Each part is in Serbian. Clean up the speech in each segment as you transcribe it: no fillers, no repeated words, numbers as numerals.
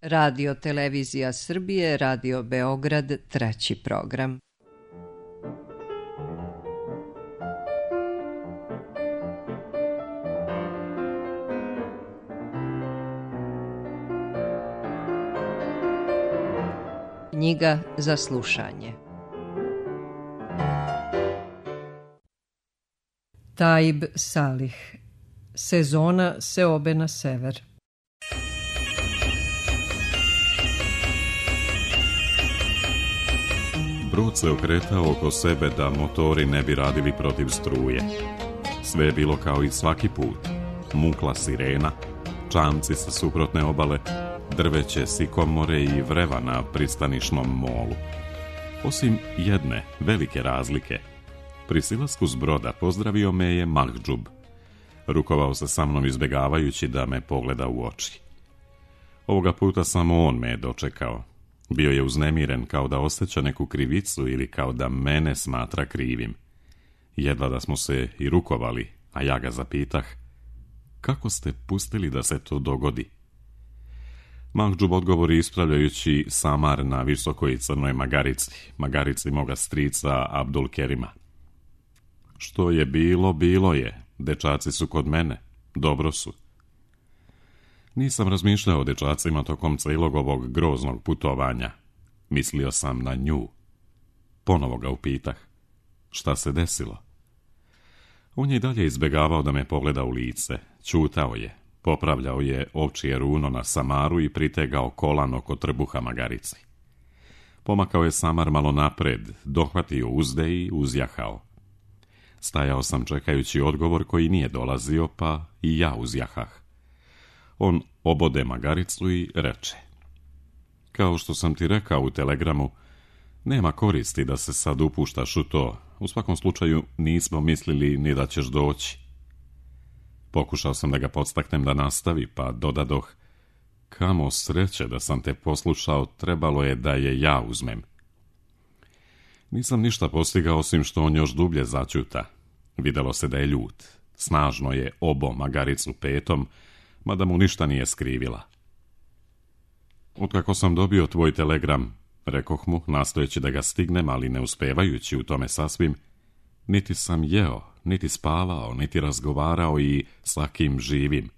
Radio Televizija Srbije, Radio Beograd, 3. program. Knjiga za slušanje. Taib Salih. Sezona seobe na sever. Brod se okretao oko sebe da motori ne bi radili protiv struje. Sve je bilo kao i svaki put. Mukla sirena, čamci sa suprotne obale, drveće sikomore i vreva na pristanišnom molu. Osim jedne velike razlike. Pri silasku s broda pozdravio me je Mahdžub. Rukovao se sa mnom izbjegavajući da me pogleda u oči. Ovoga puta samo on me je dočekao. Bio je uznemiren kao da osjeća neku krivicu ili kao da mene smatra krivim. Jedva da smo se i rukovali, a ja ga zapitah: kako ste pustili da se to dogodi? Mahdžub odgovori ispravljajući samar na visokoj crnoj magarici moga strica Abdul Kerima. Što je bilo, bilo je. Dečaci su kod mene. Dobro su. Nisam razmišljao o dečacima tokom cijelog ovog groznog putovanja. Mislio sam na nju. Ponovo ga upitah: šta se desilo? On je i dalje izbjegavao da me pogleda u lice. Ćutao je. Popravljao je ovčije runo na samaru i pritegao kolan oko trbuha magarici. Pomakao je samar malo napred, dohvatio uzde i uzjahao. Stajao sam čekajući odgovor koji nije dolazio, pa i ja uzjahah. On obode magaricu i reče: kao što sam ti rekao u telegramu, nema koristi da se sad upuštaš u to. U svakom slučaju nismo mislili ni da ćeš doći. Pokušao sam da ga podstaknem da nastavi, pa dodadoh: kamo sreće da sam te poslušao, trebalo je da je ja uzmem. Nisam ništa postigao osim što on još dublje začuta. Videlo se da je ljut. Snažno je obo magaricu petom, mada mu ništa nije skrivila. Otkako sam dobio tvoj telegram, rekoh mu, nastojeći da ga stignem, ali ne uspevajući u tome sasvim, niti sam jeo, niti spavao, niti razgovarao i sa kim živim.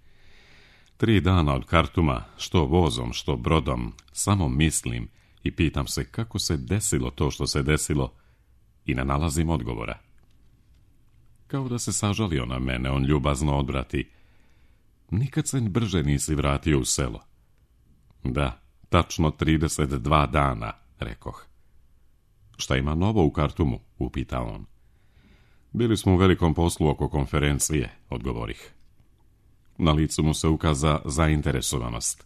3 dana od Kartuma, što vozom, što brodom, samo mislim i pitam se kako se desilo to što se desilo i ne nalazim odgovora. Kao da se sažalio na mene, on ljubazno odvrati: nikad se brže nisi vratio u selo. Da, tačno 32 dana, rekoh. Šta ima novo u Kartumu, upita on. Bili smo u velikom poslu oko konferencije, odgovorih. Na licu mu se ukaza zainteresovanost.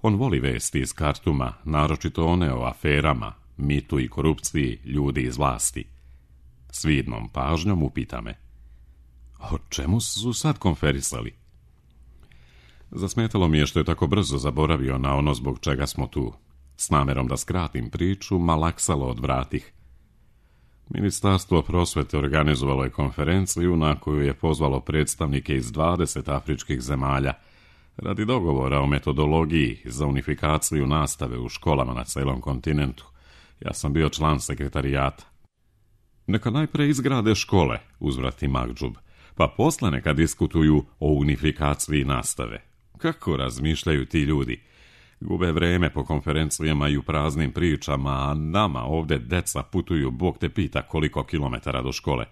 On voli vesti iz Kartuma, naročito one o aferama, mitu i korupciji ljudi iz vlasti. S vidnom pažnjom upita me: o čemu su sad konferisali? Zasmetalo mi je što je tako brzo zaboravio na ono zbog čega smo tu. S namerom da skratim priču, malaksalo odvratih. Ministarstvo prosvete organizovalo je konferenciju na koju je pozvalo predstavnike iz 20 afričkih zemalja radi dogovora o metodologiji za unifikaciju nastave u školama na celom kontinentu. Ja sam bio član sekretarijata. Neka najpre izgrade škole, uzvrati Mahdžub, pa posle neka diskutuju o unifikaciji nastave. Kako razmišljaju ti ljudi? Gube vreme po konferencijama i u praznim pričama, a nama ovde deca putuju, Bog te pita koliko kilometara do škole.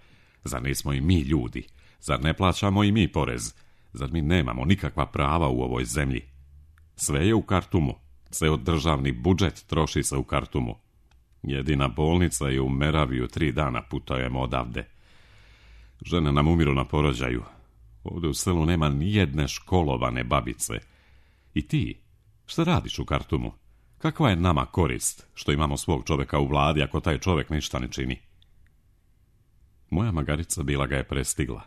Zar nismo i mi ljudi? Zar ne plaćamo i mi porez? Zar mi nemamo nikakva prava u ovoj zemlji? Sve je u Kartumu. Ceo državni budžet troši se u Kartumu. Jedina bolnica je u Meraviju, 3 dana putujemo odavde. Žene nam umiru na porođaju. Ovde u selu nema nijedne školovane babice. I ti, šta radiš u Kartumu? Kakva je nama korist što imamo svog čoveka u vladi ako taj čovek ništa ne čini? Moja magarica bila ga je prestigla.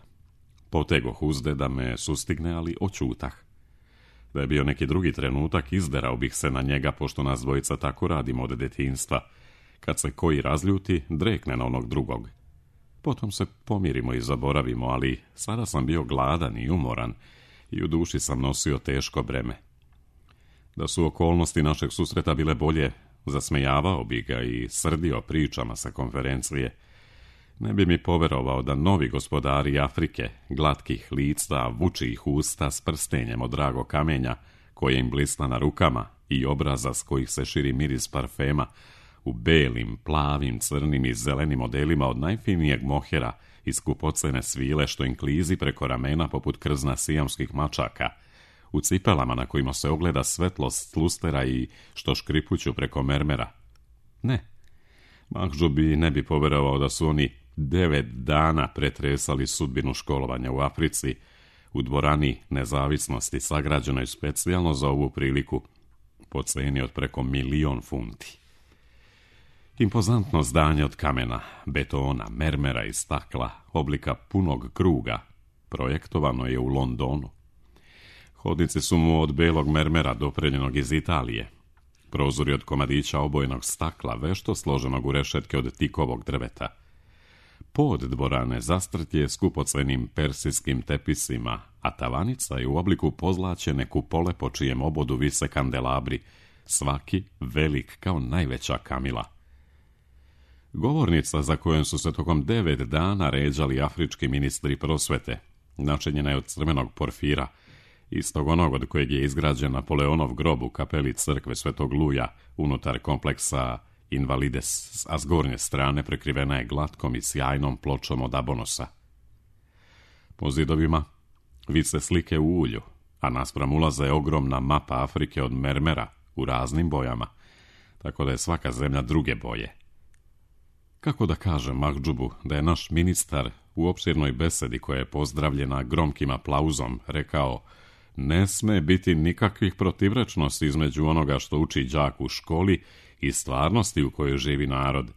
Potegoh uzde da me sustigne, ali oćutah. Da je bio neki drugi trenutak, izderao bih se na njega, pošto nas dvojica tako radimo od detinjstva. Kad se koji razljuti, drekne na onog drugog. Potom se pomirimo i zaboravimo, ali sada sam bio gladan i umoran i u duši sam nosio teško breme. Da su okolnosti našeg susreta bile bolje, zasmejavao bi ga i srdio pričama sa konferencije. Ne bi mi poverovao da novi gospodari Afrike, glatkih lica, vučih usta s prstenjem od dragog kamenja, koje im blisna na rukama i obraza s kojih se širi miris parfema, u belim, plavim, crnim i zelenim modelima od najfinijeg mohera i skupocene svile što im klizi preko ramena poput krzna sijamskih mačaka, u cipelama na kojima se ogleda svetlost lustera i što škripuću preko mermera. Ne, Mahđubi ne bi poverovao da su oni 9 dana pretresali sudbinu školovanja u Africi, u dvorani Nezavisnosti sagrađenoj specijalno za ovu priliku, po ceni od preko 1.000.000 funti. Impozantno zdanje od kamena, betona, mermera i stakla, oblika punog kruga, projektovano je u Londonu. Hodnici su mu od belog mermera dopreljenog iz Italije. Prozori od komadića obojenog stakla, vešto složenog u rešetke od tikovog drveta. Pod dvorane zastrt je skupocenim persijskim tepisima, a tavanica je u obliku pozlaćene kupole po čijem obodu vise kandelabri, svaki velik kao najveća kamila. Govornica za kojom su se tokom 9 dana ređali afrički ministri prosvete, načinjena je od crvenog porfira, istog onog od kojeg je izgrađen Napoleonov grob u kapeli crkve Svetog Luja unutar kompleksa Invalides, a s gornje strane prekrivena je glatkom i sjajnom pločom od abonosa. Po zidovima vise slike u ulju, a naspram ulaza je ogromna mapa Afrike od mermera u raznim bojama, tako da je svaka zemlja druge boje. Kako da kažem Mahđubu da je naš ministar u opširnoj besedi koja je pozdravljena gromkim aplauzom rekao: ne sme biti nikakvih protivrečnosti između onoga što uči đak u školi i stvarnosti u kojoj živi narod.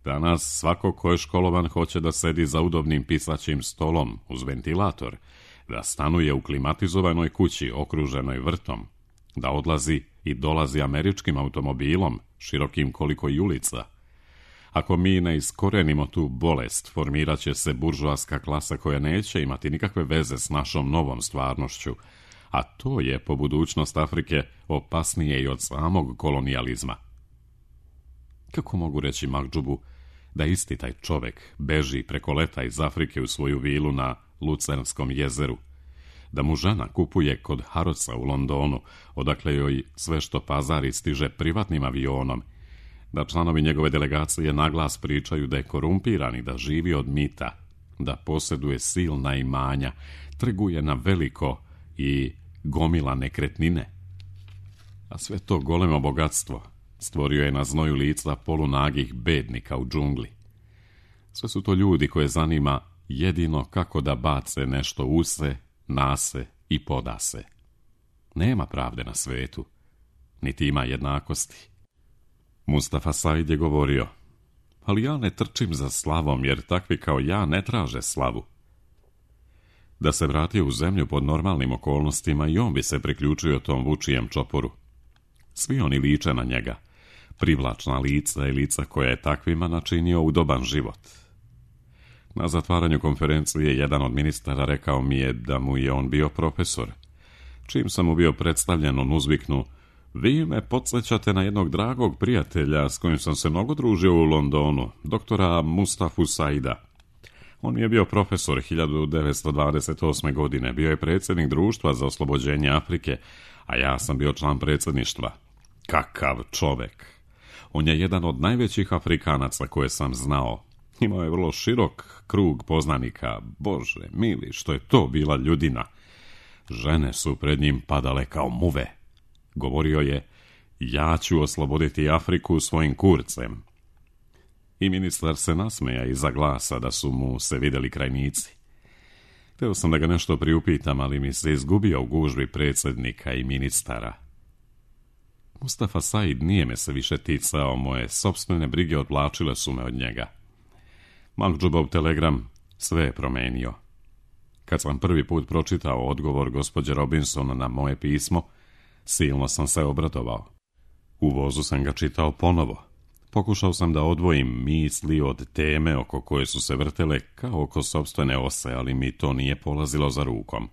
Danas svako ko je školovan hoće da sedi za udobnim pisaćim stolom uz ventilator, da stanuje u klimatizovanoj kući okruženoj vrtom, da odlazi i dolazi američkim automobilom, širokim koliko i ulica. Ako mi ne iskorenimo tu bolest, formirat će se buržoaska klasa koja neće imati nikakve veze s našom novom stvarnošću, a to je po budućnost Afrike opasnije i od samog kolonijalizma. Kako mogu reći Mahđubu da isti taj čovek beži preko leta iz Afrike u svoju vilu na Lucernskom jezeru, da mu žena kupuje kod Harrodsa u Londonu, odakle joj sve što pazari stiže privatnim avionom, da članovi njegove delegacije naglas pričaju da je korumpiran i da živi od mita, da posjeduje silna imanja, trguje na veliko i gomila nekretnine. A sve to golemo bogatstvo stvorio je na znoju lica polunagih bednika u džungli. Sve su to ljudi koje zanima jedino kako da bace nešto u se, na se i poda se. Nema pravde na svetu, niti ima jednakosti. Mustafa Said je govorio: ali ja ne trčim za slavom, jer takvi kao ja ne traže slavu. Da se vratio u zemlju pod normalnim okolnostima i on bi se priključio tom vučijem čoporu. Svi oni liče na njega, privlačna lica i lica koja je takvima načinio udoban život. Na zatvaranju konferencije jedan od ministara rekao mi je da mu je on bio profesor. Čim sam mu bio predstavljen, on uzviknu: vi me podsjećate na jednog dragog prijatelja s kojim sam se mnogo družio u Londonu, doktora Mustafu Saida. On je bio profesor 1928. godine, bio je predsjednik društva za oslobođenje Afrike, a ja sam bio član predsjedništva. Kakav čovek! On je jedan od najvećih Afrikanaca koje sam znao. Imao je vrlo širok krug poznanika. Bože mili, što je to bila ljudina! Žene su pred njim padale kao muve. Govorio je: ja ću osloboditi Afriku svojim kurcem. I ministar se nasmeja iza glasa da su mu se vidjeli krajnici. Hteo sam da ga nešto priupitam, ali mi se izgubio u gužbi predsjednika i ministara. Mustafa Said nije me se više ticao, moje sopstvene brige odvlačile su me od njega. Mahđubov telegram sve je promenio. Kad sam prvi put pročitao odgovor gospođe Robinson na moje pismo, silno sam se obradovao. U vozu sam ga čitao ponovo. Pokušao sam da odvojim misli od teme oko koje su se vrtele kao oko sopstvene ose, ali mi to nije polazilo za rukom.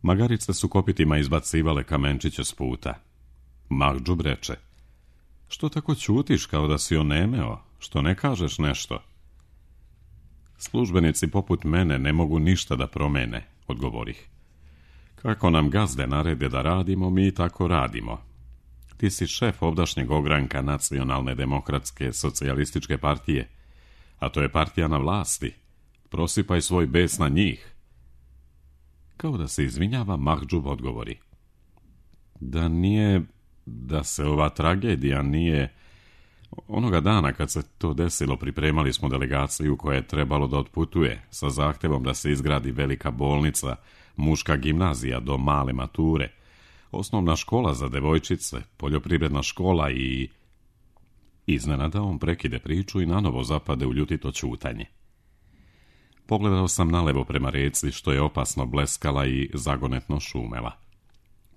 Magarice su kopitima izbacivale kamenčiće s puta. Mahdžub reče: što tako ćutiš kao da si onemeo, što ne kažeš nešto? Službenici poput mene ne mogu ništa da promene, odgovorih. Kako nam gazde narede da radimo, mi tako radimo. Ti si šef ovdašnjeg ogranka Nacionalne demokratske socijalističke partije, a to je partija na vlasti. Prosipaj svoj bes na njih. Kao da se izvinjava, Mahdžub odgovori: da se ova tragedija nije... Onoga dana kad se to desilo, pripremali smo delegaciju koja je trebalo da otputuje sa zahtevom da se izgradi velika bolnica, muška gimnazija do male mature, osnovna škola za devojčice, poljoprivredna škola i... Iznenada on prekide priču i nanovo zapade u ljutito ćutanje. Pogledao sam nalevo prema reci, što je opasno bleskala i zagonetno šumela.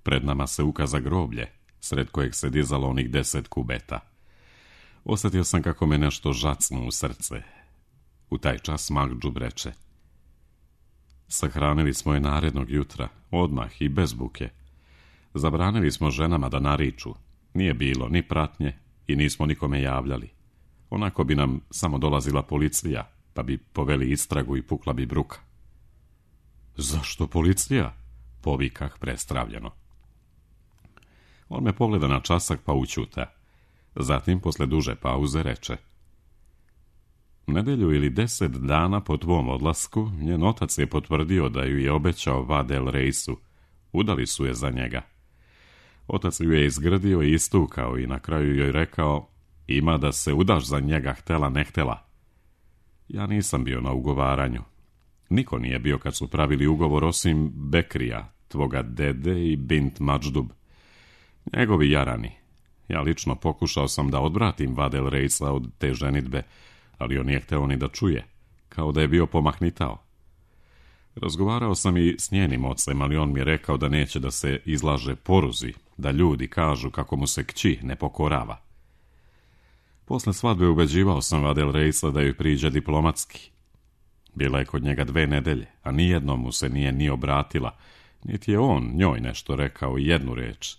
Pred nama se ukaza groblje, sred kojeg se dizalo onih 10 kubeta. Osjetio sam kako me nešto žacnu u srce. U taj čas Mahdžub reče: sahranili smo je narednog jutra, odmah i bez buke. Zabranili smo ženama da nariču. Nije bilo ni pratnje i nismo nikome javljali. Onako bi nam samo dolazila policija, pa bi poveli istragu i pukla bi bruka. Zašto policija? Povikah prestravljeno. On me pogleda na časak pa ućuta. Zatim, posle duže pauze, reče: nedelju ili 10 dana po tvom odlasku, njen otac je potvrdio da ju je obećao Vadel Reisu. Udali su je za njega. Otac ju je izgrdio i istukao i na kraju joj rekao: ima da se udaš za njega, htela ne htela. Ja nisam bio na ugovaranju. Niko nije bio kad su pravili ugovor osim Bekrija, tvoga dede i Bint Mahdžub. Njegovi jarani. Ja lično pokušao sam da odvratim Vadel Reisa od te ženidbe, ali on nije hteo ni da čuje, kao da je bio pomahnitao. Razgovarao sam i s njenim ocem, ali on mi je rekao da neće da se izlaže poruzi, da ljudi kažu kako mu se kći ne pokorava. Posle svadbe ubeđivao sam Vadel Reisa da joj priđe diplomatski. Bila je kod njega 2 nedelje, a nijednom mu se nije ni obratila, niti je on njoj nešto rekao, jednu reč.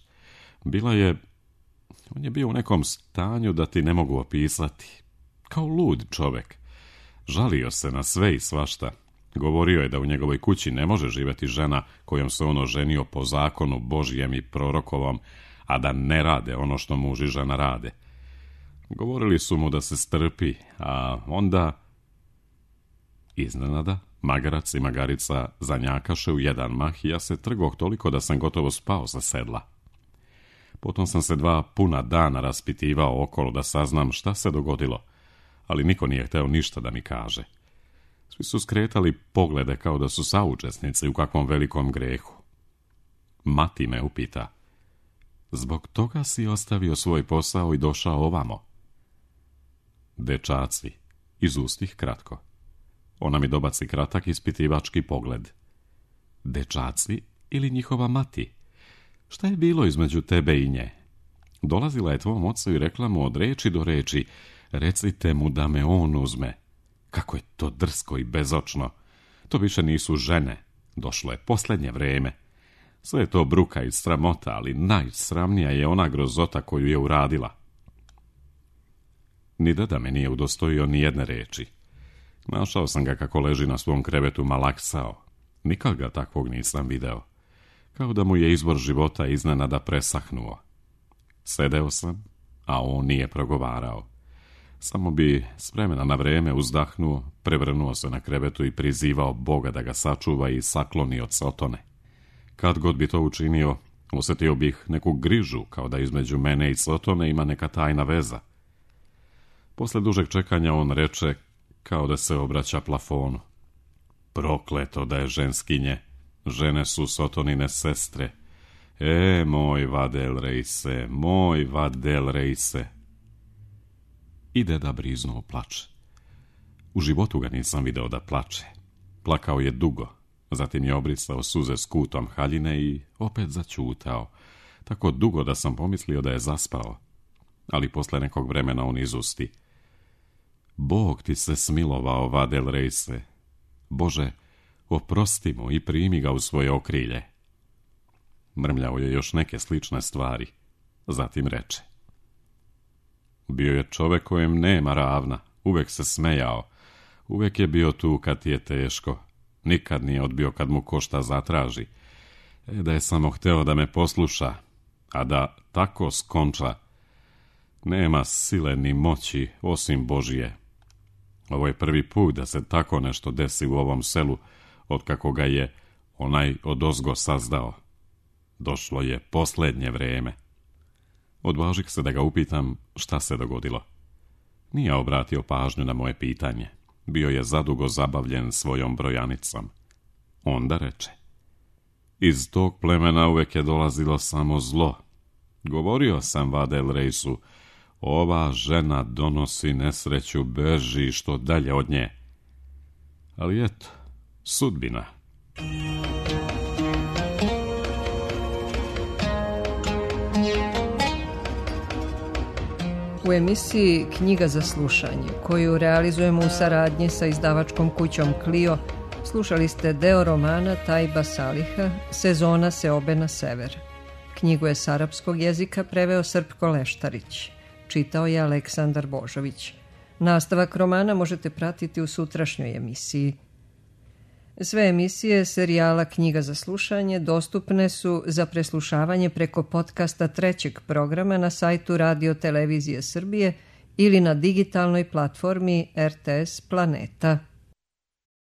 On je bio u nekom stanju da ti ne mogu opisati. Kao lud čovek. Žalio se na sve i svašta. Govorio je da u njegovoj kući ne može živjeti žena kojom se on oženio po zakonu Božjem i prorokovom, a da ne rade ono što muž i žena rade. Govorili su mu da se strpi, a onda... Iznenada, magarac i magarica zanjakaše u jedan mah i ja se trgoh toliko da sam gotovo spao sa sedla. Potom sam se 2 puna dana raspitivao okolo da saznam šta se dogodilo, ali niko nije hteo ništa da mi kaže. Svi su skretali poglede kao da su saučesnici u kakvom velikom grehu. Mati me upita: zbog toga si ostavio svoj posao i došao ovamo? Dečaci, iz ustih kratko. Ona mi dobaci kratak ispitivački pogled. Dečaci ili njihova mati? Šta je bilo između tebe i nje? Dolazila je tvom ocu i rekla mu od reči do reči: recite mu da me on uzme. Kako je to drsko i bezočno. To više nisu žene. Došlo je posljednje vreme. Sve je to bruka i sramota, ali najsramnija je ona grozota koju je uradila. Ni deda me nije udostojio ni jedne reči. Našao sam ga kako leži na svom krevetu malaksao. Nikad ga takvog nisam video. Kao da mu je izvor života iznenada presahnuo. Sedeo sam, a on nije progovarao. Samo bi s vremena na vreme uzdahnuo, prevrnuo se na krevetu i prizivao Boga da ga sačuva i sakloni od Sotone. Kad god bi to učinio, osjetio bih neku grižu, kao da između mene i Sotone ima neka tajna veza. Posle dužeg čekanja on reče, kao da se obraća plafonu: prokleto da je ženskinje, žene su Sotonine sestre. Moj Vadel Reise, moj Vadel Reise. I deda briznuo plač. U životu ga nisam video da plače. Plakao je dugo, zatim je obrisao suze s kutom haljine i opet zaćutao, tako dugo da sam pomislio da je zaspao. Ali posle nekog vremena on izusti: Bog ti se smilovao, Vadel Reise. Bože, oprosti mu i primi ga u svoje okrilje. Mrmljao je još neke slične stvari. Zatim reče: bio je čovek kojem nema ravna, uvek se smejao, uvek je bio tu kad ti je teško, nikad nije odbio kad mu ko šta zatraži. Da je samo hteo da me posluša, a da tako skonča, nema sile ni moći osim Božije. Ovo je prvi put da se tako nešto desi u ovom selu, otkako ga je onaj odozgo sazdao. Došlo je posljednje vreme. Odvažih se da ga upitam šta se dogodilo. Nije obratio pažnju na moje pitanje. Bio je zadugo zabavljen svojom brojanicom. Onda reče: iz tog plemena uvek je dolazilo samo zlo. Govorio sam Vadel Reisu, ova žena donosi nesreću, beži što dalje od nje. Ali eto, sudbina. U emisiji Knjiga za slušanje, koju realizujemo u saradnji sa izdavačkom kućom Clio, slušali ste deo romana Tajba Saliha Sezona seobe na sever. Knjigu je s arapskog jezika preveo Srpko Leštarić. Čitao je Aleksandar Božović. Nastavak romana možete pratiti u sutrašnjoj emisiji. Sve emisije serijala Knjiga za slušanje dostupne su za preslušavanje preko podcasta trećeg programa na sajtu Radio Televizije Srbije ili na digitalnoj platformi RTS Planeta.